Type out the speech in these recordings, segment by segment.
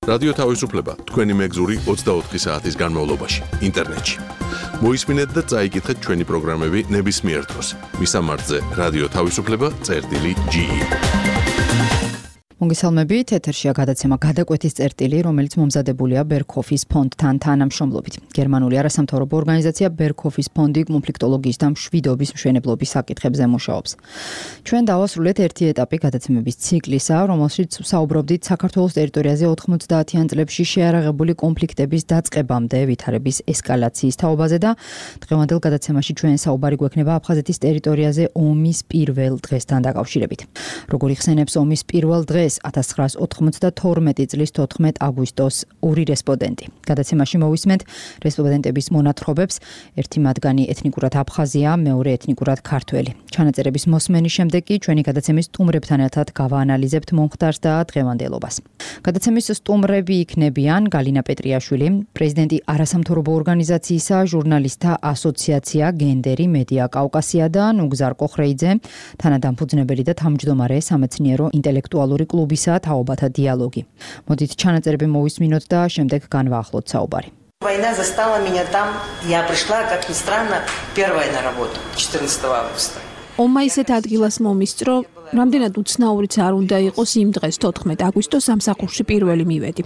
რადიო თავისუფლება თქვენი მეგზური 24 საათის განმავლობაში ინტერნეტში. მოისმინეთ და წაიკითხეთ ჩვენი პროგრამები ნებისმიერ დროს. მისამართზე რადიო თავისუფლება.ge მოგესალმებით, ეთერშია გადაცემა გადაკვეთის წერტილი, რომელიც მომზადებულია ბერქოფის ფონდთან თანამშრომლობით. გერმანული არასამთავრობო ორგანიზაცია ბერქოფის ფონდი კონფლიქტოლოგიის და მშვიდობის მშვენებლობის საკითხებზე მუშაობს. ჩვენ დავასრულეთ ერთი ეტაპი გადაცემების ციკლისა, რომელშიც საუბრობდით საქართველოს ტერიტორიაზე 90-იან წლებში შეარაღებული კონფლიქტების დაწყებამდე ვითარების ესკალაციის თაობაზე და დღევანდელ გადაცემაში ჩვენ საუბარი გვექნება აფხაზეთის ტერიტორიაზე ომის პირველ დღესთან დაკავშირებით. როგორ იხსენებს ომის პირველ დღეს 1992 წლის 14 აგვისტოს ორი რესპონდენტი. გადაცემაში მოვისმენთ რესპონდენტების მონათხრობებს, ერთი მათგანი ეთნიკურად აფხაზია, მეორე ეთნიკურად ქართველი. ჩანაწერების მოსმენის შემდეგ კი ჩვენი გადაცემის სტუმრებთან ერთად გავაანალიზებთ მომხდარს და დღევანდელობას. გადაცემის სტუმრები იქნებიან გალინა პეტრიაშვილი, პრეზიდენტი არასამთავრობო ორგანიზაციისა ჟურნალისტთა ასოციაცია გენდერი მედია კავკასია და ნუგზარ კოხრეიძე, თანადამფუძნებელი და თავმჯდომარე სამეცნიერო ინტელექტუალური კლუბისა თაობათა დიალოგი. მოდით ჩანაწერები მოვისმინოთ და შემდეგ განვაახლოთ საუბარი. Война застала меня там, я пришла, как ни странно, первая на работу, 14 августа. ომმა ისეთ ადგილას მომისწრო, რამდენად უცნაურიც არ უნდა იყოს იმ დღეს 14 აგვისტოს სამსახურში პირველი მივედი.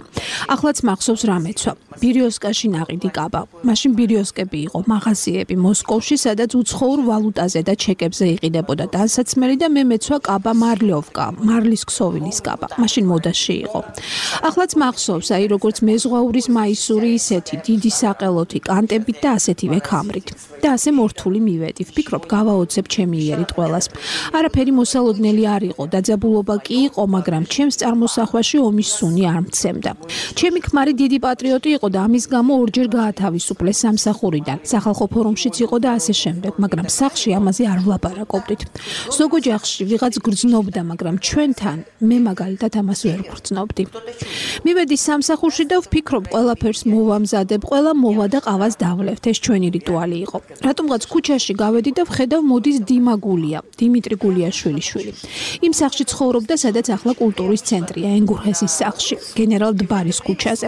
ახლაც მახსოვს რა მეცვა. ბირიოსკაში ნაყიდი კაბა. მაშინ ბირიოსკები იყო, მაღაზიები მოსკოვში, სადაც უცხოურ ვალუტაზე და ჩეკებზე იყიდებოდა ტანსაცმელი და მე მეცვა კაბა მარლიოვკა, მარლის ქსოვილის კაბა. მაშინ მოდაში იყო. ახლაც მახსოვს, აი როგორც მეზღვაურის მაისური ისეთი დიდი საყელოთი კანტებით და ასეთივე ქამრით. და ასე მორთული მივედი. ვფიქრობ, გავაოცებ ჩემი იერით ყველას. არაფერი მოსალოდნელი არ იყო, დაძაბულობა კი იყო, მაგრამ ჩემს წარმოსახვაში ომის სუნი არ მცემდა. ჩემი ქმარი დიდი პატრიოტი იყო და ამის გამო ორჯერ გაათავისუფლეს სამსახურიდან. სახალხო ფორუმშიც იყო და ასე შემდეგ, მაგრამ სახლში ამაზე არ ვლაპარაკობდით. ზოგ ოჯახში ვიღაც გრძნობდა, მაგრამ ჩვენთან მე მაგალითად ამას ვერ გრძნობდი. მივედი სამსახურში და ვფიქრობ, ყველაფერს მოვამზადებ, ყველა მოვა და ყავას დავლევთ, ეს ჩვენი რიტუალი იყო. რატომღაც ქუჩაში გავედი და ვხედავ მოდის დიმა გულია, დიმიტრი გულიაშვილი. იმ სახლში ცხოვრობდა, სადაც ახლა კულტურის ცენტრია, ენგურჰესის სახლში, გენერალ დბარის ქუჩაზე.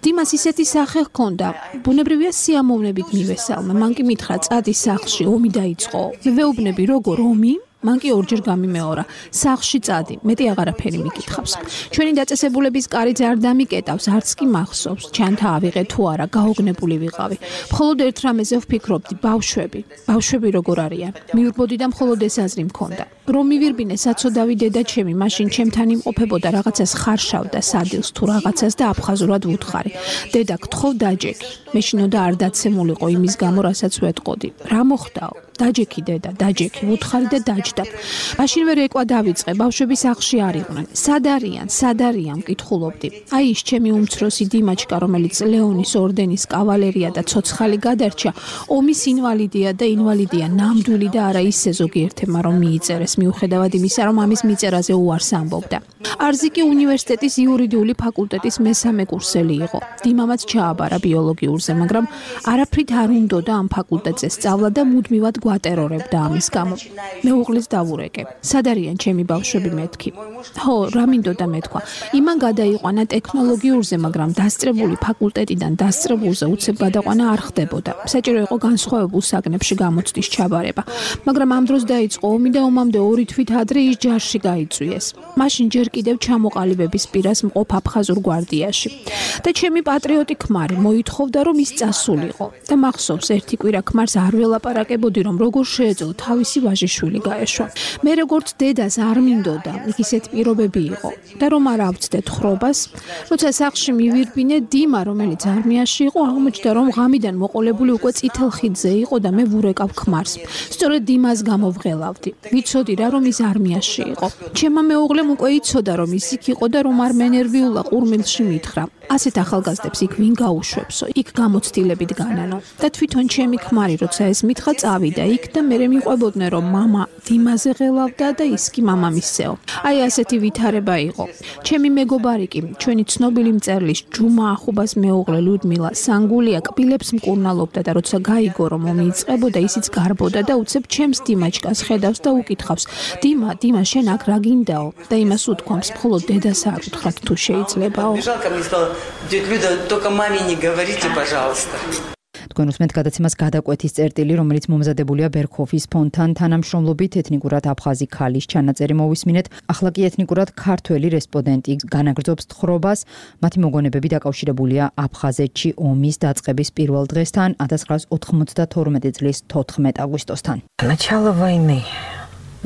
დიმას ისეთი სახე ჰქონდა, ბუნებრივია სიამოვნებით მივესალმა. მან კი მითხრა, წადი სახლში, ომი დაიწყო. მე ვეუბნები, როგორ ომი? მან კი ორჯერ გამიმეორა, სახლში წადი, მეტი აღარაფერი მიკითხავს. ჩვენი დაწესებულების კარიც არ დამიკეტავს, არც კი მახსოვს, ჩანთა ავიღე თუ არა, გაოგნებული ვიყავი. მხოლოდ ერთ რამეზე ვფიქრობდი, ბავშვები როგორ არიან. მივირბოდი და მხოლოდ ეს აზრი მქონდა. რომ მივირბინე საცოდავი დედა ჩემი, მაშინ ჩემთან იმყოფებოდა რაღაცას ხარშავდა სადილს თუ რაღაცას და აფხაზურად ვუთხარი. დედა გთხოვ დაჯექი. მეშინოდა არ დაცემულიყო იმის გამო, რასაც ვეტყოდი. რა მოხდაო? დაჯექი დედა, დაჯექი, ვუთხარი და დაჯდა. მაშინვე რეკვა დავიწყე, ბავშვები სახლში არ იყვნენ. სად არიან, მკითხულობდი. აი ის ჩემი უმცროსი დიმაჩკა, რომელიც ლეონის ორდენის კავალერია და ცოცხალი გადარჩა, ომის ინვალიდია და ინვალიდია ნამდვილი და არა ისე ზოგიერთებმა რომ მიიწერეს, მიუხედავად იმისა, რომ ამის მიწერაზე უარს ამბობდა. არზიკი უნივერსიტეტის იურიდიული ფაკულტეტის მესამე კურსელი იყო. დიმამაც ჩააბარა ბიოლოგიურზე, მაგრამ არაფრით არ უნდოდა ამ ფაკულტეტზე სწავლა და მუდმივად გვატერორებდა ამის გამო. მე უღლის დავურეკე. სად არიან ჩემი ბავშვები მეთქი? ხო, რა მინდოდა მეთქვა. იმან გადაიყვანა ტექნოლოგიურზე, მაგრამ დასწრებული ფაკულტეტიდან დასწრებულზე უცებ გადაყვანა არ ხდებოდა. საჭირო იყო განსხვავებულ საგნებში გამოცდის ჩაბარება. მაგრამ ამ დროს დაიწყო ომი და ომამდე 2 თვით ადრე ის ჯარში გაიწვიეს. მაშინ ჯერ კიდევ ჩამოყალიბების პირას მყოფ აფხაზურ გვარდიაში. და ჩემი პატრიოტი ქმარი მოითხოვდა, რომ ის წასულიყო. და მახსოვს, ერთი კვირა ქმარს არ ველაპარაკებოდი, რომ როგორ შეეძლო თავისი ვაჟიშვილი გაეშვა. მე როგორც დედას არ მინდოდა, იქ ისეთ პირობები იყო და რომ არ ავწდეთ ხრობას, როცა სახლში მივირბინე, დიმა, რომელიც არმიაში იყო, აღმოჩნდა, რომ ღამიდან მოყოლებული უკვე წითელ ხიდზე იყო და მე ვურეკავ ქმარს. სწორედ დიმას გამოვღელავდი. ვიცოდი რა, რომ ის არმიაში იყო. ჩემმა მეუღლემ უკვე იცოდა, რომ ის იქ იყო და რომ არ მენერვიულა ყურმილში მითხრა. ასეთ ახალგაზრდებს იქ ვინ გაუშვებსო, იქ გამოცდილებით განანო და თვითონ ჩემი ქმარი როცა ეს მითხრა წავიდა იქ და მე მიყვებოდნენ რომ მამა დიმაზე ღელავდა და ის კი მამამისეო. აი ასეთი ვითარება იყო. ჩემი მეგობარი კი ჩვენი ცნობილი მწერლის ჯუმა ახუბას მეუღლე ლუდმილა სანგულია კბილებს მკურნალობდა და როცა გაიგო რომ ომი იწყებოდა ისიც გარბოდა და უცებ ჩემს დიმაჩკას ხედავს და უკითხავს დიმა შენ აქ რა გინდაო და იმას უთქვამს მხოლოდ დედას არ უთხრათ თუ შეიძლებაო. თქვენ უსმენთ გადაცემას გადაკვეთის წერტილი, რომელიც მომზადებულია ბერქოფის ფონდთან თანამშრომლობით ეთნიკურად აფხაზი ქალის ჩანაწერი მოვისმინეთ. ახლა კი ეთნიკურად ქართველი რესპონდენტი განაგრძობს თხრობას. მათი მოგონებები დაკავშირებულია აფხაზეთში ომის დაწყების პირველ დღესთან 1992 წლის 14 აგვისტოსთან. Начало войны.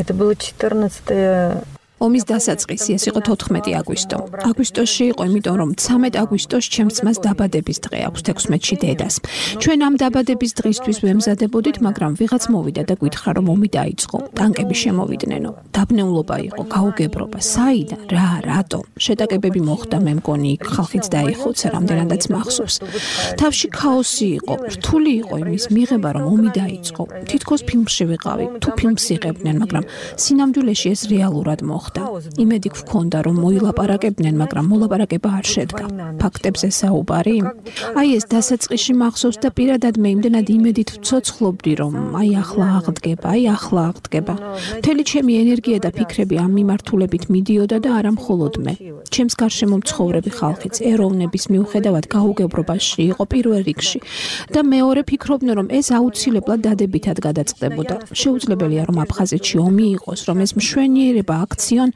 Это было 14 ომის დასაწყისი ეს იყო 14 აგვისტო. აგვისტოში იყო, იმიტომ რომ 13 აგვისტოს ჩემს ძმას დაბადების დღე აქვს 16-ში დედას. ჩვენ ამ დაბადების დღისთვის ვემზადებოდით, მაგრამ ვიღაც მოვიდა და გითხრა რომ ომი დაიწყო. ტანკები შემოვიდნენ. დაბნეულობა იყო, გაუგებრობა. საიდან? რა, რატო? შეტაკებები მოხდა, მე მგონი იქ ხალხიც დაიხოცა, რამდენადაც მახსოვს. თავში ქაოსი იყო, რთული იყო იმის მიღება, რომ ომი დაიწყო. თითქოს ფილმში ვიყავი, თუ ფილმს იღებდნენ, მაგრამ სინამდვილეში ეს რეალურად მოხდა. იმედი გვქონდა რომ მოილაპარაკებდნენ, მაგრამ მოლაპარაკება არ შედგა. ფაქტებზე საუბარი? აი ეს დასაწყისში მახსოვს და პირადად მე იმდენად იმედით ვცოცხლობდი, რომ აი ახლა აღდგება. მთელი ჩემი ენერგია და ფიქრები ამ მიმართულებით მიდიოდა და არა მხოლოდ მე. ჩემს გარშემო მცხოვრები ხალხიც ეროვნების მიუხედავად გაუგებრობაში იყო პირველ რიგში და მეორე ფიქრობდნენ რომ ეს აუცილებლად დადებითად გადაწყდებოდა. შეუძლებელია რომ აფხაზეთში ომი იყოს, რომ ეს მშვენიერება აქციონ,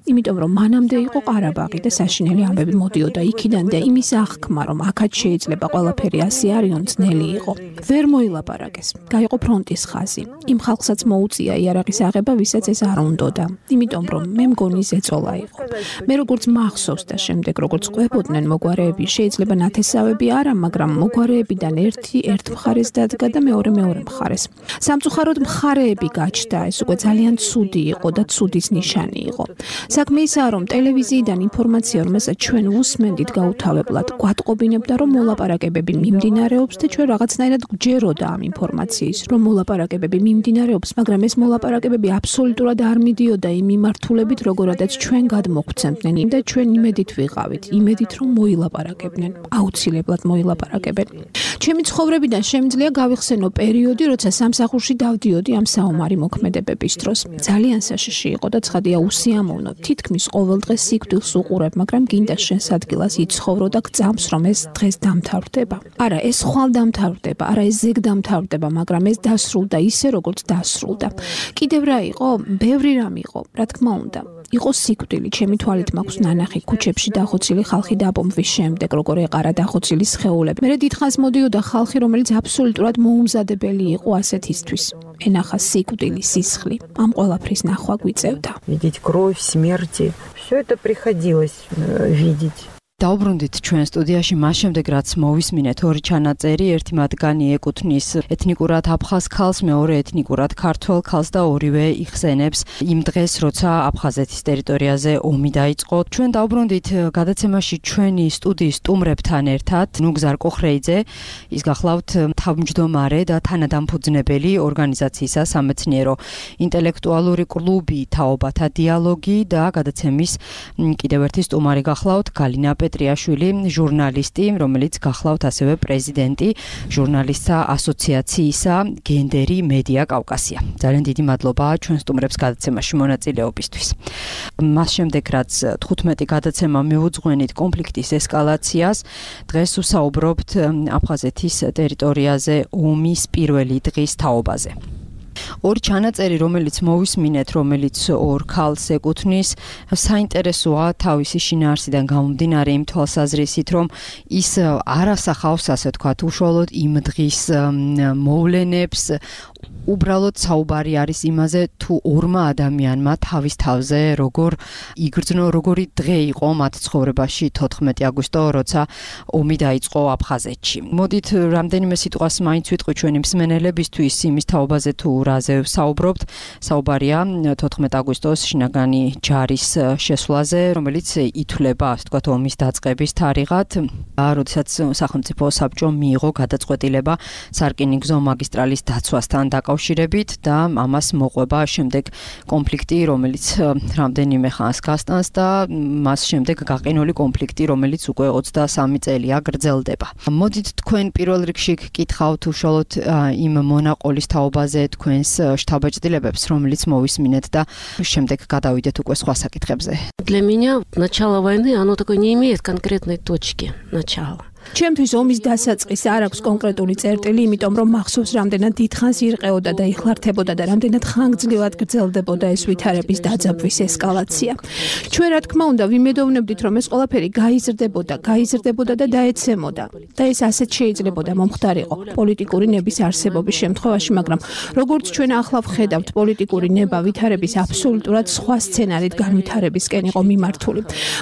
იმიტომ რომ მანამდე იყო ყარაბაღი და საშინელი ამბები მოდიოდა იქიდან და იმის აღქმა რომ აქაც შეიძლება ყველაფერი ასე არისონ ძნელი იყო. ვერ მოილაპარაკეს. გაიყო ფრონტის ხაზი. იმ ხალხსაც მოუწია იარაღის აღება, ვისაც ეს არ უნდოდა. იმიტომ რომ მე მგონი ზეწოლა იყო. მე როგორც მახსოვს და შემდეგ როგორც ყვებოდნენ მოგვარეები, შეიძლება ნათესავები არა, მაგრამ მოგვარეებიდან ერთი ერთ მხარეს დადგა და მეორე მხარეს. სამწუხაროდ მხარეები გაჩნდა, ეს უკვე ძალიან ცუდი იყო და ცუდის ნიშანი იყო. საქმე ისაა, რომ ტელევიზიიდან ინფორმაცია, რომელსაც ჩვენ უსმენდით გაუთავებლად, გვატყობინებდა, რომ მოლაპარაკებები მიმდინარეობს და ჩვენ რაღაცნაირად გვჯეროდა ამ ინფორმაციის, რომ მოლაპარაკებები მიმდინარეობს, მაგრამ ეს მოლაპარაკებები აბსოლუტურად არ მიდიოდა იმ მიმართულებით, როგორადაც ჩვენ გადმოგვცემდნენ და ჩვენ იმედით ვიყავით, იმედით რომ მოილაპარაკებდნენ, აუცილებლად მოილაპარაკებენ. ჩემი ცხოვრებიდან შემიძლია გავიხსენო პერიოდი, როცა სამსახურში დავდიოდი ამ საომარი მოქმედებების დროს. ძალიან საშიში იყო და ცხადია უსიამოვნო. თითქმის ყოველ დღეს სიკვდილს უყურებ, მაგრამ გინდა შენს ადგილას იცხოვრო და გწამს, რომ ეს დღეს დამთავრდება. არა, ეს ხვალ დამთავრდება, არა ეს ზეგ დამთავრდება, მაგრამ ეს დასრულდა ისე, როგორც დასრულდა. კიდევ რა იყო? ბევრი რამ იყო, რა თქმა უნდა. იყო სიკვდილი, ჩემი თვალით მაქვს ნანახი ქუჩებში დახოცილი ხალხი დაბომბვის შემდეგ, როგორ ეყარა დახოცილი სხეულები. მე დიდხანს მოდიოდა ხალხი, რომელიც აბსოლუტურად მოუმზადებელი იყო ასეთისთვის. ენახა სიკვდილი, სისხლი. ამ ყველაფრის ნახვა გვიწევდა. Видеть кровь, смерти. Все это приходилось видеть. დაუბრუნდით ჩვენ სტუდიაში მას შემდეგ რაც მოვისმინეთ ორი ჩანაწერი, ერთი მათგანი ეკუთვნის ეთნიკურად აფხაზ ქალს, მეორე ეთნიკურად ქართველ ქალს და ორივე იხსენებს იმ დღეს, როცა აფხაზეთის ტერიტორიაზე ომი დაიწყო. ჩვენ დაუბრუნდით გადაცემაში ჩვენი სტუდიის სტუმრებთან ერთად, ნუგზარ კოხრეიძე, ის გახლავთ თავმჯდომარე და თანადამფუძნებელი ორგანიზაციისა სამეცნიერო ინტელექტუალური კლუბი თაობათა დიალოგი და გადაცემის კიდევ ერთი სტუმარი გახლავთ გალინა პეტრიაშვილი, ჟურნალისტი, რომელიც გახლავთ ასევე პრეზიდენტი ჟურნალისტთა ასოციაციისა გენდერი მედია კავკასია. ძალიან დიდი მადლობა ჩვენ სტუმრებს გადაცემაში მონაწილეობისთვის. მას შემდეგ რაც 15 გადაცემა მიუძღვენით კონფლიქტის ესკალაციას, დღეს ვსაუბრობთ აფხაზეთის ტერიტორიაზე ომის პირველი დღის თაობაზე. ორი ჩანაწერი, რომელიც მოვისმინეთ, რომელიც ორ ქალს ეკუთვნის, საინტერესოა თავისი შინაარსიდან გამომდინარე იმ თვალსაზრისით, რომ ის არ ასახავს, ასე ვთქვათ, უშუალოდ იმ დღის მოვლენებს, უბრალოდ საუბარი არის იმაზე, თუ ორმა ადამიანმა თავის თავზე როგორ იგრძნო, როგორი დღე იყო მათ ცხოვრებაში 14 აგვისტო, როცა ომი დაიწყო აფხაზეთში. მოდით რამდენიმე სიტყვას მაინც ვიტყვი ჩვენი მსმენელებისთვის იმის თაობაზე თუ რაზე ვსაუბრობთ. საუბარია 14 აგვისტოს შინაგანი ჯარის შესვლაზე, რომელიც ითვლება, ასე ვთქვათ, ომის დაწყების თარიღად, როდესაც სახელმწიფო საბჭომ მიიღო გადაწყვეტილება სარკინიგზო მაგისტრალის დაცვასთან დაკავშირებით და ამას მოყვება შემდეგ კონფლიქტი, რომელიც რამდენიმე ხანს გასტანს და მას შემდეგ გაყინული კონფლიქტი, რომელიც უკვე 23 წელია გრძელდება. მოდით თქვენ პირველ რიგში გკითხავთ უშუალოდ იმ მონაყოლის თაობაზე თქვენს შთაბეჭდილებებს, რომელიც მოვისმინეთ და შემდეგ გადავიდეთ უკვე სხვა საკითხებზე. Для меня начало войны, оно такой не имеет конкретной точки начала. ჩემთვის ომის დასაწყის არ აქვს კონკრეტული წერტილი, იმიტომ რომ მახსოვს რამდენად დიდხანს ირყეოდა და იხლართებოდა და რამდენად ხანგრძლივად გრძელდებოდა ეს ვითარების დაძაბვის ესკალაცია. ჩვენ რა თქმა უნდა ვიმედოვნებდით, რომ ეს ყველაფერი გაიზრდებოდა და დაეცემოდა და ეს ასეთ შეიძლებოდა მომხდარიყო პოლიტიკური ნების არსებობის შემთხვევაში, მაგრამ როგორც ჩვენ ახლა ვხედავთ, პოლიტიკური ნება ვითარების აბსოლუტურად სხვა სცენარით განვითარებისკენ იყო მიმართული.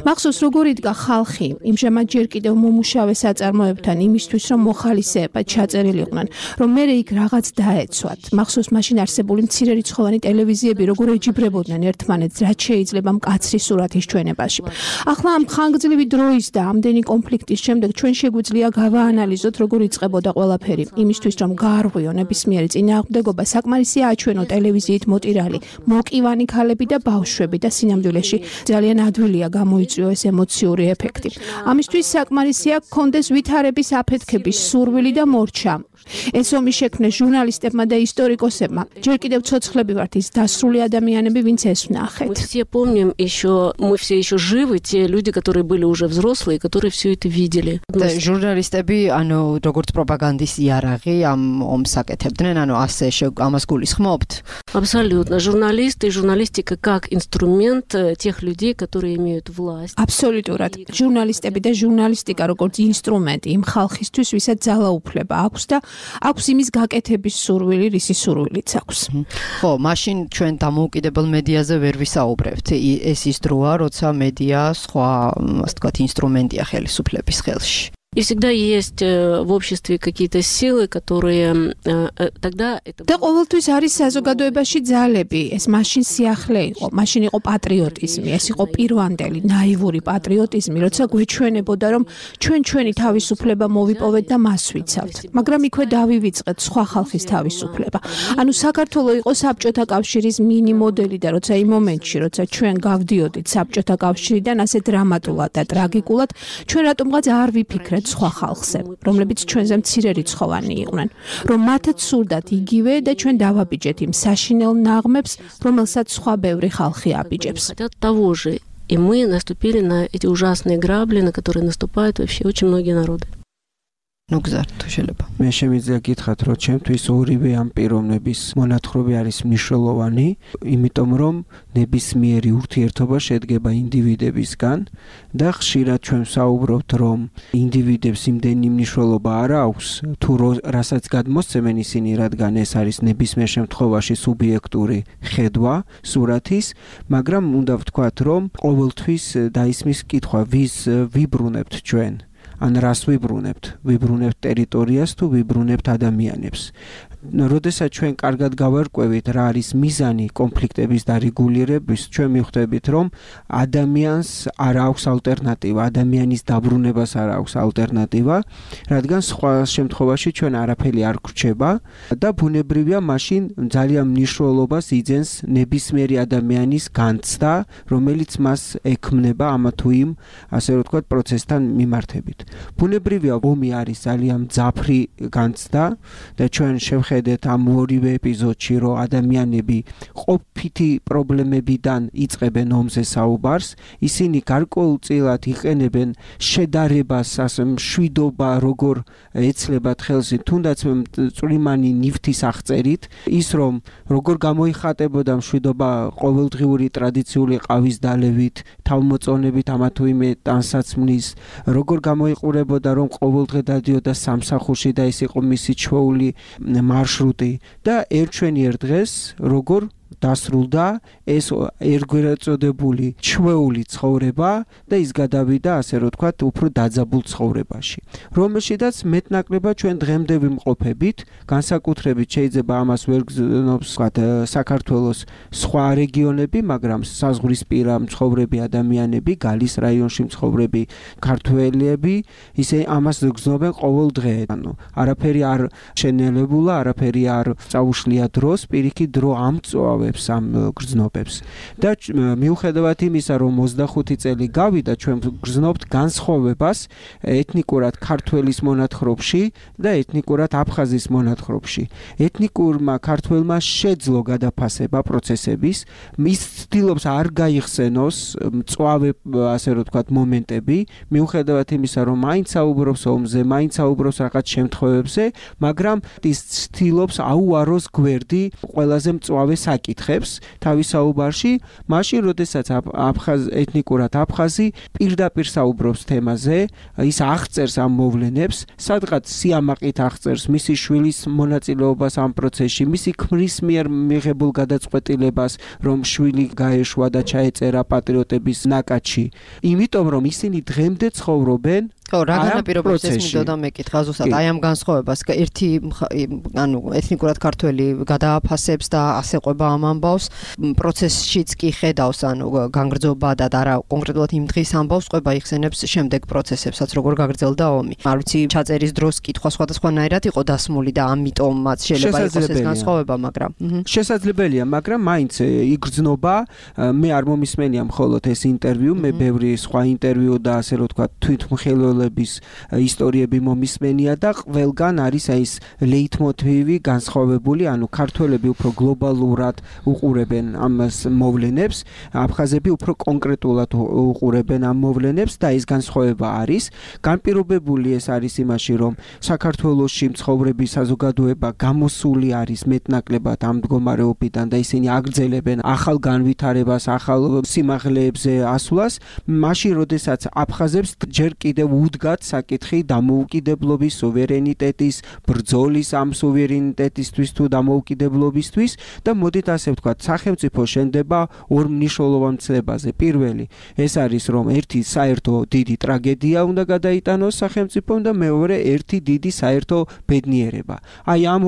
მახსოვს როგორ იდგა ხალხი იმჟამად ჯერ კიდევ მომუშავე წარმოებთან იმისთვის, რომ მოხალისეებად ჩაწერილიყვნენ, რომ მე იქ რაღაც დაეცვათ. მახსოვს მაშინ არსებული მცირერიცხოვანი ტელევიზიები როგორ ეჯიბრებოდნენ ერთმანეთს, რაც შეიძლება მკაცრი სურათის ჩვენებაში. ახლა ამ ხანგრძლივი დროის და ამდენი კონფლიქტის შემდეგ ჩვენ შეგვიძლია გავაანალიზოთ, როგორ იწყებოდა ყველაფერი. იმისთვის, რომ გაარღვიო ნებისმიერი წინააღმდეგობა, საკმარისია აჩვენო ტელევიზიით მოტირალი, მოკივანი ქალები და ბავშვები და სინამდვილეში ძალიან ადვილია გამოიწვიო ეს ემოციური ეფექტი. ამისთვის საკმარისია კონდეს ვითარების აფეთქების სურვილი და მორჩა. ეს ომი შექმნეს ჟურნალისტებმა და ისტორიკოსებმა. ჯერ კიდევ ცოცხლები ვართ ის დასრული ადამიანები, ვინც ეს ვნახეთ. Мы все помним мы все еще живы, те люди, которые были уже взрослые, которые все это видели. ჟურნალისტები, ანუ როგორც პროპაგანდის იარაღი ამ ომს აკეთებდნენ, ანუ ასე ამას გულისხმობთ? Абсолютно. Журналисты и журналистика как инструмент тех людей, которые имеют власть. Აბსოლუტურად. ჟურნალისტები და ჟურნალისტიკა როგორც ინსტრუმენტი იმ ხალხისთვის, ვისაც ძალაუფლება აქვს და აქვს იმის გაკეთების სურვილი, რისი სურვილიც აქვს. ხო, მაშინ ჩვენ დამოუკიდებელ მედიაზე ვერ ვისაუბრებთ. ეს ის დროა, როცა მედია სხვა, ასე ვთქვათ, ინსტრუმენტია ხელისუფლების ხელში. И всегда есть в обществе какие-то силы, которые тогда это... და ყოველთვის არის საზოგადოებაში ძალები. ეს მაშინ სიახლე იყო, მაშინ იყო პატრიოტიზმი, ეს იყო პირვანდელი, ნაივური პატრიოტიზმი, როცა გვეჩვენებოდა, რომ ჩვენი თავისუფლება მოვიპოვეთ და მას ვიცავთ. მაგრამ იქვე დავივიწყეთ სხვა ხალხის თავისუფლება. ანუ საქართველო იყო საბჭოთა კავშირის მინი მოდელი და როცა იმ მომენტში, როცა ჩვენ გავდიოდით საბჭოთა კავშირიდან ასე დრამატულად და ტრაგიკულად, ჩვენ რატომღაც არ ვიფიქრეთ სხვა ხალხზე, რომლებიც ჩვენზე მცირერიცხოვანი იყვნენ, რომ მათაც სურდათ იგივე და ჩვენ დავაბიჯეთ იმ საშინელ ნაღმებს, რომელსაც სხვა ბევრი ხალხი აბიჯებს. Хотят того же, и мы наступили на эти ужасные грабли, на которые наступают вообще очень многие народы. Ну, გზარდ, თუ შეიძლება. მე შემიძლია გითხრათ, რომ ჩემთვის ორივე ამ პიროვნების მონათხრობი არის მნიშვნელოვანი, იმიტომ რომ ნებისმიერი ურთიერთობა შედგება ინდივიდებისგან და ხშირად ჩვენ ვსაუბრობთ, რომ ინდივიდებს იმდენი მნიშვნელობა არ აქვს, თუ რასაც გადმოსცემენ ისინი, რადგან ეს არის ნებისმიერ შემთხვევაში სუბიექტური ხედვა სურათის, მაგრამ უნდა ვთქვათ, რომ ყოველთვის დაისმის კითხვა, ვის ვიბრუნებთ ჩვენ. ან რას ვიბრუნებთ ტერიტორიას თუ ვიბრუნებთ ადამიანებს. როდესაც ჩვენ კარგად გავარკვევით რა არის მიზანი კონფლიქტების დარეგულირების, ჩვენ მივხვდებით, რომ ადამიანს არ აქვს ალტერნატივა, ადამიანის დაბრუნებას არ აქვს ალტერნატივა, რადგან სხვა შემთხვევაში ჩვენ არაფერი არ გვრჩება და ბუნებრივია მაშინ ძალიან მნიშვნელობას იძენს ნებისმიერი ადამიანის განცდა, რომელიც მას ექმნება ამ თუ იმ, ასე რომ ვთქვათ, პროცესთან მიმართებით. ბუნებრივია ომი არის ძალიან მძაფრი განცდა და ჩვენ შევხედეთ ამ ორივე ეპიზოდში, რომ ადამიანები ყოფითი პრობლემებიდან იწყებენ ომზე საუბარს, ისინი გარკვეულწილად იყენებენ შედარებას, ასე მშვიდობა, როგორ ეცლებათ ხელს, თუნდაც წვრიმანი ნივთის აღწერით, ის რომ როგორ გამოიხატებოდა მშვიდობა ყოველდღიური ტრადიციული ყავის დალევით, თავმოწონებით ამა თუ იმ ტანსაცმლის, როგორ გამოიყურებოდა რომ ყოველდღე დადიოდა სამსახურში და ეს იყო მისი ჩვეული მარშრუტი და ერთჩვენიერ დღეს როგორ დასრულდა ეს ერთგვარწოდებული ჩვეული ცხოვრება და ის გადავიდა ასე რომ ვთქვათ უფრო დაძაბულ ცხოვრებაში რომელშიდაც მეტნაკლებად ჩვენ დღემდე ვიმყოფებით განსაკუთრებით შეიძლება ამას ვერ გზნობს ვთქვათ საქართველოს სხვა რეგიონები მაგრამ საზღვრისპირა მცხოვრები ადამიანები გალის რაიონში მცხოვრები ქართველები ისე ამას გზნობენ ყოველ დღე ანუ არაფერი არ შენელებულა არაფერი არ წაუშლია დროს პირიქით დრო ამწვავებს ამ გრძნობებს და მიუხედავად იმისა რომ 25 წელი გავიდა ჩვენ გრძნობთ განსხვავებას ეთნიკურად ქართველის მონათხრობში და ეთნიკურად აფხაზის მონათხრობში ეთნიკურმა ქართველმა შეძლო გადაფასება პროცესების ის ცდილობს არ გაიხსენოს მწვავე ასე რომ ვთქვათ მომენტები მიუხედავად იმისა რომ მაინც საუბრობს ომზე მაინც საუბრობს რაღაც შემთხვევებზე მაგრამ ის ცდილობს აუაროს გვერდი ყველაზე მწვავე საკითხებს თავის საუბარში მაშინ როდესაც ეთნიკურად აფხაზი პირდაპირ საუბრობს თემაზე ის აღწერს ამ მოვლენებს სადღაც სიამაყით აღწერს მისი შვილის მონაწილეობას ამ პროცესში მისი ქმრის მიერ მიღებულ გადაწყვეტილებას რომ შვილი გაეშვა და ჩაეწერა პატრიოტების ნაკადში იმიტომ რომ ისინი დღემდე ცხოვრობენ ხო, რა განაპირობებს ეს მინდოდა მეკითხა ზუსტად აი ამ განსხვავებას ერთი ანუ ეთნიკურად ქართველი გადააფასებს და ასეყვება ამ ამბავს პროცესშიც კი ხედავს ანუ განგრძობა და არა კონკრეტულად იმ დღის ამბავს ყვება იხსენებს შემდეგ პროცესებსაც როგორ გაგრძელდა ომი არ ვიცი ჩაწერის დროს კითხვა სხვადასხვანაირად იყო დასმული და ამიტომაც შეიძლება იყოს ეს განსხვავება მაგრამ შესაძლებელია მაგრამ მაინც იგრძნობა მე არ მომისმენია მხოლოდ ეს ინტერვიუ მე ბევრი სხვა ინტერვიუ და ასე რომ თქვა თვითმხილველების ისტორიები მომისმენია და ყველგან არის ეს ლეიტმოტივი განსხვავებული ანუ ქართველები უფრო გლობალურად უყურებენ ამ მოვლენებს აფხაზები უფრო კონკრეტულად უყურებენ ამ მოვლენებს და ეს განსხვავება არის განპირობებული ეს არის იმაში რომ საქართველოში მცხოვრები საზოგადოება გამოსული არის მეტნაკლებად ამ მდგომარეობიდან და ისინი აგრძელებენ ახალ განვითარებას ახალ სიმაღლეებზე ასვლას მაშინ როდესაც აფხაზებს ჯერ კიდევ უდგათ საკითხი დამოუკიდებლობის სუვერენიტეტის ბრძოლის ამ სუვერენიტეტისთვის თუ დამოუკიდებლობისთვის და მოდით ასე ვთქვათ სახელმწიფო შენდება ორ მნიშვნელოვან ცნებაზე პირველი ეს არის რომ ერთი საერთო დიდი ტრაგედია უნდა გადაიტანოს სახელმწიფომ და მეორე ერთი დიდი საერთო ბედნიერება აი ამ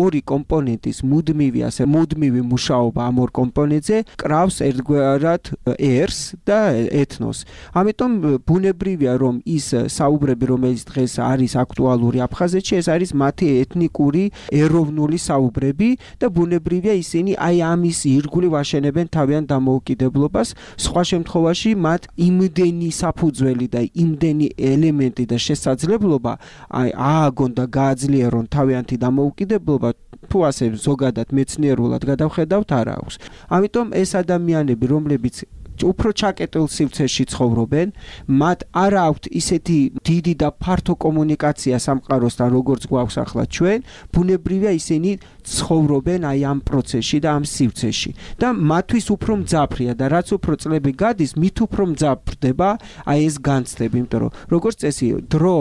ორი კომპონენტის მუდმივი მუშაობა ამ ორ კომპონენტზე კრავს ერთგვარად ერს და ეთნოს ამიტომ ბუნებრივია რომ ის საუბრები რომელიც დღეს არის აქტუალური აფხაზეთში ეს არის მათი ეთნიკური ეროვნული საუბრები და ბუნებრივია ისინი აი ამის ირგვლივ აშენებენ თავიანთ დამოუკიდებლობას სხვა შემთხვევაში მათ იმდენი საფუძველი და იმდენი ელემენტი და შესაძლებლობა აი ააგონ და გააძლიერონ თავიანთი დამოუკიდებლობა თუ ასე ზოგადად მეცნიერულად გადავხედავთ არ აქვს ამიტომ ეს ადამიანები რომლებიც უფრო ჩაკეტილ სივრცეში ცხოვრობენ, მათ არ აქვთ ისეთი დიდი და ფართო კომუნიკაცია სამყაროსთან, როგორც გვაქვს ახლა ჩვენ, ბუნებრივია ისინი ცხოვრობენ აი ამ პროცესში და ამ სივრცეში. და მათთვის უფრო მძაფრია და რაც უფრო წლები გადის, მით უფრო მძაფრდება აი ეს განცდები, იმიტომ რომ როგორც წესი, დრო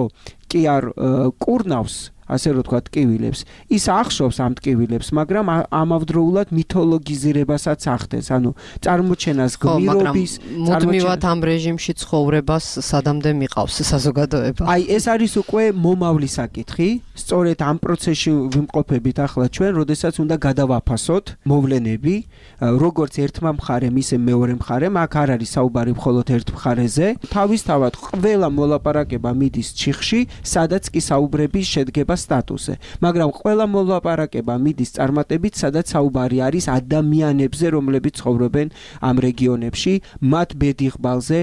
კი არ კურნავს ასე რომ თქვა ტკივილებს ის ახშობს ამ ტკივილებს მაგრამ ამავდროულად მითოლოგიზირებასაც ახდენს ანუ წარმოჩენას გმირობის მუდმივად ამ რეჟიმში ცხოვრებას სადამდე მიყავს საზოგადოება აი ეს არის უკვე მომავლის საკითხი სწორედ ამ პროცესში ვიმყოფებით ახლა ჩვენ როდესაც უნდა გადავაფასოთ მოვლენები როგორც ერთმა მხარემ ისე მეორე მხარემ აქ არ არის საუბარი მხოლოდ ერთ მხარეზე თავისთავად ყველა მოლაპარაკება მიდის ჩიხში სადაც კი საუბრები შედგება სტატუსზე, მაგრამ ყველა მოლაპარაკება მიდის წარმატებით, სადაც საუბარი არის ადამიანებზე, რომლებიც ცხოვრობენ ამ რეგიონებში, მათ ბედიღბალზე,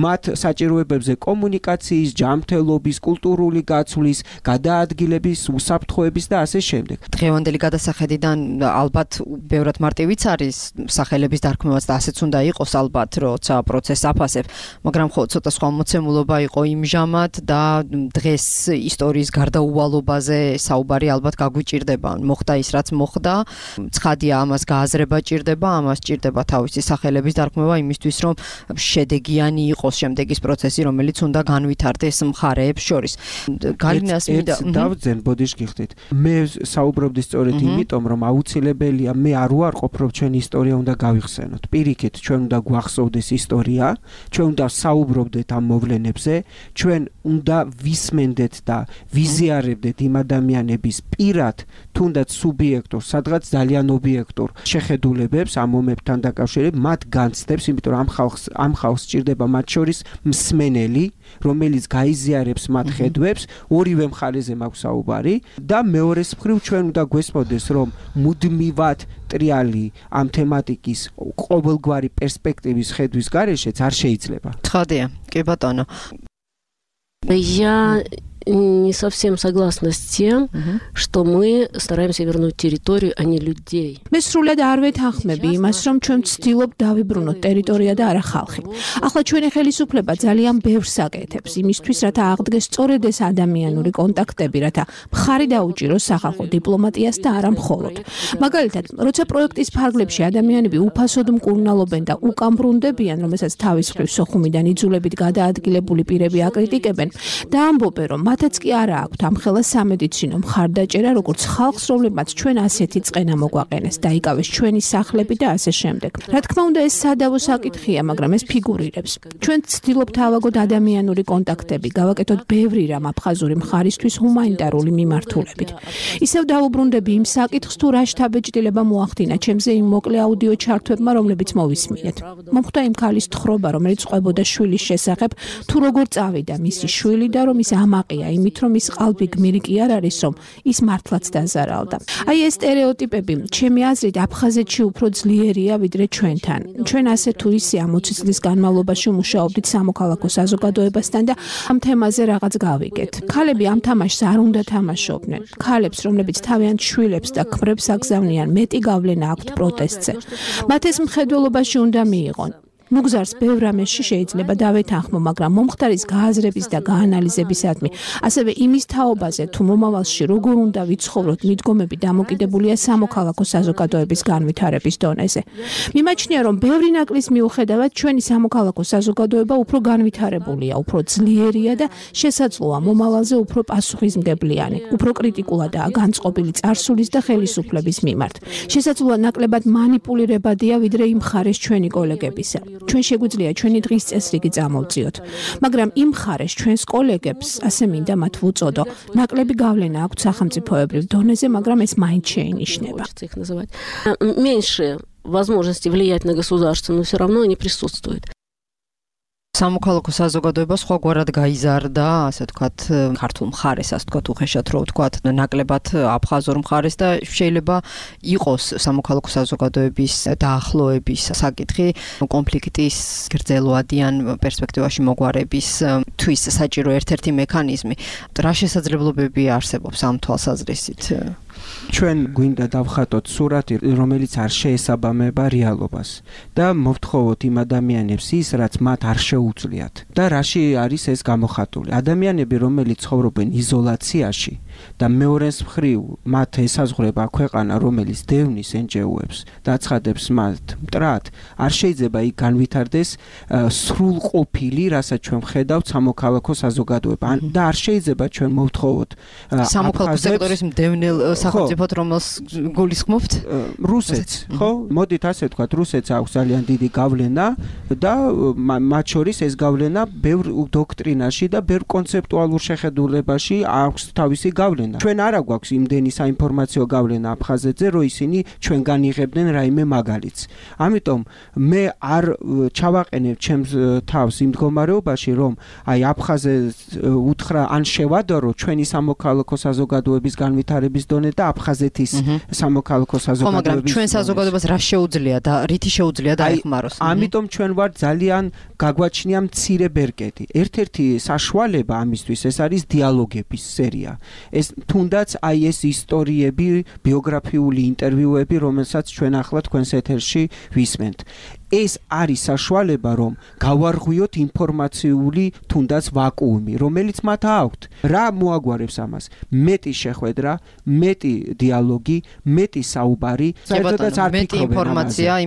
მათ საჭიროებებზე კომუნიკაციის, ჯანმრთელობის, კულტურული გაცვლის, გადაადგილების, უსაფრთხოების და ასე შემდეგ. დღევანდელი გადასახედიდან ალბათ ბევრად მარტივიც არის სახელების დარქმევაც და ასეც უნდა იყოს ალბათ, როცა პროცესს აფასებ, მაგრამ ხო ცოტა სხვა მოცემულობა იყო იმჟამად და დღეს ისტორიის გარდაუვალობაზე საუბარი ალბათ გაგვიჭირდება. მოხდა ის რაც მოხდა, ცხადია ამას გააზრება ჭირდება, ამას ჭირდება თავისი სახელების დარქმევა იმისთვის, რომ შედეგიანი იყოს შემდეგის პროცესი, რომელიც უნდა განვითარდეს მხარეებს შორის. გალინას მინდა დავძენ ბოდიშ გიხდით. მე საუბრობდი სწორედ იმიტომ, რომ აუცილებელია მე არ უარყოფ, რომ ჩვენი ისტორია უნდა გავიხსენოთ. პირიქით, ჩვენ უნდა გვახსოვდეს ისტორია, ჩვენ უნდა საუბრობდეთ ამ მოვლენებზე, ჩვენ უნდა ვისმენდეთ და ვიზიარებდეთ იმ ადამიანების პირად, თუნდაც სუბიექტურ, სადღაც ძალიან ობიექტურ შეხედულებებს ამ მომებთან დაკავშირებით, მათ განცდებს, იმიტომ რომ ამ ხალხს სჭირდება მათ შორის მსმენელი, რომელიც გაიზიარებს მათ ხედვებს, ორივე მხარეზე მაქვს საუბარი და მეორეს მხრივ ჩვენ უნდა გვესმოდეს, რომ მუდმივად ტრიალი ამ თემატიკის ყოველგვარი პერსპექტივის ხედვის გარეშეც არ შეიძლება. ცხადია, კი ბატონო. Я не совсем согласна с тем, что мы стараемся вернуть территорию, а не людей. მე სრულად არ ვეთანხმები იმას, რომ ჩვენ ვცდილობთ დავიბრუნოთ ტერიტორია და არა ხალხი. ახლა ჩვენი ხელისუფლება ძალიან ბევრს აკეთებს იმისთვის, რათა აღდგეს სწორედ ეს ადამიანური კონტაქტები, რათა მხარი დაუჭიროს სახალხო დიპლომატიას და არა მხოლოდ. მაგალითად, როცა პროექტის ფარგლებში ადამიანები უფასოდ მკურნალობენ და უკან ბრუნდებიან, რომელსაც თავის მხრივ სოხუმიდან იძულებით გადაადგილებული პირები აკრიტიკებენ და ამბობენ, რომ მათაც კი არა აქვთ ამ ხელა სამედიცინო მხარდაჭერა, როგორც ხალხს, რომლებმაც ჩვენ ასეთი წყენა მოგვაყენეს, დაიკავეს ჩვენი სახლები და ასე შემდეგ. რა თქმა უნდა, ეს სადავო საკითხია, მაგრამ ეს ფიგურირებს. ჩვენ ვცდილობთ ავაგოთ ადამიანური კონტაქტები, გავაკეთოთ ბევრი რამ აფხაზური მხარისთვის ჰუმანიტარული მიმართულებით. ისევ დავუბრუნდები იმ საკითხს, თუ რა შთაბეჭდილება მოახდინა ჩემზე იმ მოკლე აუდიო ჩართვებმა, რომლებიც მოვისმინეთ. მომხდა იმ ქალის თხრობა, რომელიც ყვებოდა შვილის შესახებ, თუ როგორ წავიდა მისი შვილი და რომ ის ამაყია იმით, რომ ის ყალბი გმირი კი არ არის, რომ ის მართლაც დაზარალდა. აი ეს სტერეოტიპები, ჩემი აზრით, აფხაზეთში უფრო ძლიერია ვიდრე ჩვენთან. ჩვენ ასე თუ ისე 60 წლის განმავლობაში მუშაობდით სამოქალაქო საზოგადოებასთან და ამ თემაზე რაღაც გავიგეთ. ქალები ამ თამაშს არ უნდა თამაშობდნენ. ქალებს, რომლებიც თავიანთ შვილებს და ქმრებს აგზავნიან, მეტი გავლენა აქვთ პროტესტზე. მათ ეს მხედველობაში უნდა მიიღონ. მუგზარს ბევრ რამეში შეიძლება დავეთანხმო, მაგრამ მომხდარის გააზრების და გაანალიზებისადმი, ასევე იმის თაობაზე, თუ მომავალში როგორ უნდა ვიცხოვროთ, მიდგომები დამოკიდებულია სამოქალაქო საზოგადოების განვითარების დონეზე. მიმაჩნია, რომ ბევრი ნაკლის მიუხედავად, ჩვენი სამოქალაქო საზოგადოება უფრო განვითარებულია, უფრო ძლიერია და შესაძლოა მომავალზე უფრო პასუხისმგებლიანი, უფრო კრიტიკულადაა განწყობილი წარსულის და ხელისუფლების მიმართ. შესაძლოა ნაკლებად მანიპულირებადია, ვიდრე იმ მხარეს ჩვენი კოლეგებისა. ჩვენ შეგვიძლია ჩვენი დღის წესრიგი წამოვწიოთ, მაგრამ იმ მხარეს ჩვენს კოლეგებს, ასე მინდა მათ ვუწოდო, ნაკლები გავლენა აქვთ სახელმწიფოებრივ დონეზე, მაგრამ ეს მაინც შეინიშნება. Меньше возможности влиять на государство, но все равно они присутствуют. სამოქალაქო საზოგადოება სხვაგვარად გაიზარდა, ასე ვთქვათ, ქართულ მხარეს, ასე ვთქვათ, უხეშად რო ვთქვათ, ნაკლებად აფხაზურ მხარეს და შეიძლება იყოს სამოქალაქო საზოგადოების დაახლოების საკითხი კონფლიქტის გრძელვადიან პერსპექტივაში მოგვარების თვის საჭირო ერთ-ერთი მექანიზმი. რა შესაძლებლობები არსებობს ამ თვალსაზრისით? ჩვენ გვინდა დავხატოთ სურათი, რომელიც არ შეესაბამება რეალობას და მოვთხოვოთ იმ ადამიანებს ის, რაც მათ არ შეუძლიათ. და რაში არის ეს გამოხატული? ადამიანები, რომელიც ცხოვრობენ იზოლაციაში და მეორეს მხრივ მათ ესაზღვრება ქვეყანა, რომელიც დევნის NGO-ებს და აცხადებს მათ მტრად, არ შეიძლება იქ განვითარდეს სრულყოფილი, რასაც ჩვენ ვხედავთ სამოქალაქო საზოგადოება. და არ შეიძლება ჩვენ მოვთხოვოთ სამოქალაქო სექტორის მდევნელ სახელმწიფოდ, რომელს გულისხმობთ? რუსეთს, ხო? მოდით ასე ვთქვათ, რუსეთს აქვს ძალიან დიდი გავლენა და მათ შორის ეს გავლენა ბევრ დოქტრინაში და ბევრ კონცეპტუალურ შეხედულებაში აქვს თავისი გავლენა. ჩვენ არა გვაქვს იმდენი საინფორმაციო გავლენა აფხაზეთზე, რომ ისინი ჩვენგან იღებდნენ რაიმე მაგალითს. ამიტომ მე არ ჩავაყენებ ჩემს თავს იმ მდგომარეობაში, რომ აი აფხაზეთს უთხრა ან შევადარო ჩვენი სამოქალაქო საზოგადოების განვითარების დონე და აფხაზეთის სამოქალაქო საზოგადოების. მაგრამ ჩვენ საზოგადოებას რა შეუძლია და რითი შეუძლია დაეხმაროს? ამიტომ ჩვენ ვართ ძალიან გაგვაჩნია მცირე ბერკეტი. ერთ-ერთი საშუალება ამისთვის ეს არის დიალოგების სერია. ეს თუნდაც აი ეს ისტორიები, ბიოგრაფიული ინტერვიუები, რომელსაც ჩვენ ახლა თქვენს ეთერში ვისმენთ. ეს არის საშუალება, რომ გავარღვიოთ ინფორმაციული თუნდაც ვაკუუმი, რომელიც მათ აქვთ. რა მოაგვარებს ამას? მეტი შეხვედრა, მეტი დიალოგი, მეტი საუბარი, საერთოდაც არ მეტი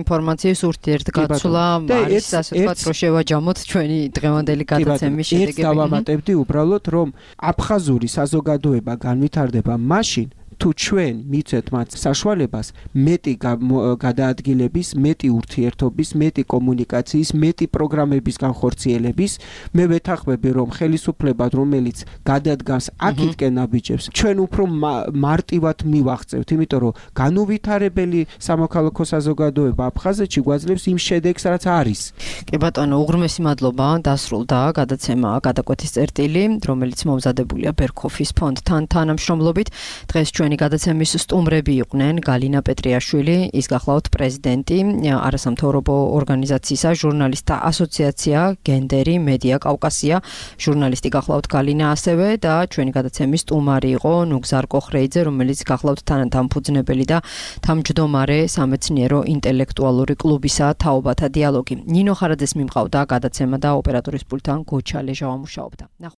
ინფორმაციის ურთიერთგაცვლა არის, ასე ვთქვათ, რომ შევაჯამოთ ჩვენი დღევანდელი გადაცემის შედეგები. ეს დავამატებდი უბრალოდ, რომ აფხაზური საზოგადოება განვითარდება მაშინ, თუ ჩვენ მიცეთ მათ საშუალებას მეტი გადაადგილების, მეტი ურთიერთობის, მეტი კომუნიკაციის, მეტი პროგრამების განხორციელების, მე ვეთანხმები, რომ ხელისუფლებად, რომელიც გადადგას აქეთკენ ნაბიჯებს, ჩვენ უფრო მარტივად მივაღწევთ, იმიტომ რომ განუვითარებელი სამოქალაქო საზოგადოება აფხაზეთში გვაძლევს იმ შედეგს, რაც არის. კი ბატონო, უღრმესი მადლობა, დასრულდა გადაცემა გადაკვეთის წერტილი, რომელიც მომზადებულია ბერქოფის ფონდთან თანამშრომლობით. დღეს ჩვენი გადაცემის სტუმრები იყვნენ გალინა პეტრიაშვილი, ის გახლავთ პრეზიდენტი არასამთავრობო ორგანიზაციისა ჟურნალისტთა ასოციაცია გენდერი მედია კავკასია, ჟურნალისტი გახლავთ გალინა ასევე და ჩვენი გადაცემის სტუმარი იყო ნუგზარ კოხრეიძე, რომელიც გახლავთ თანადამფუძნებელი და თავმჯდომარე სამეცნიერო ინტელექტუალური კლუბისა თაობათა დიალოგი. ნინო ხარაძეს მიმყავდა გადაცემა და ოპერატორის პულტთან გოჩა ლეჟავა მუშაობდა.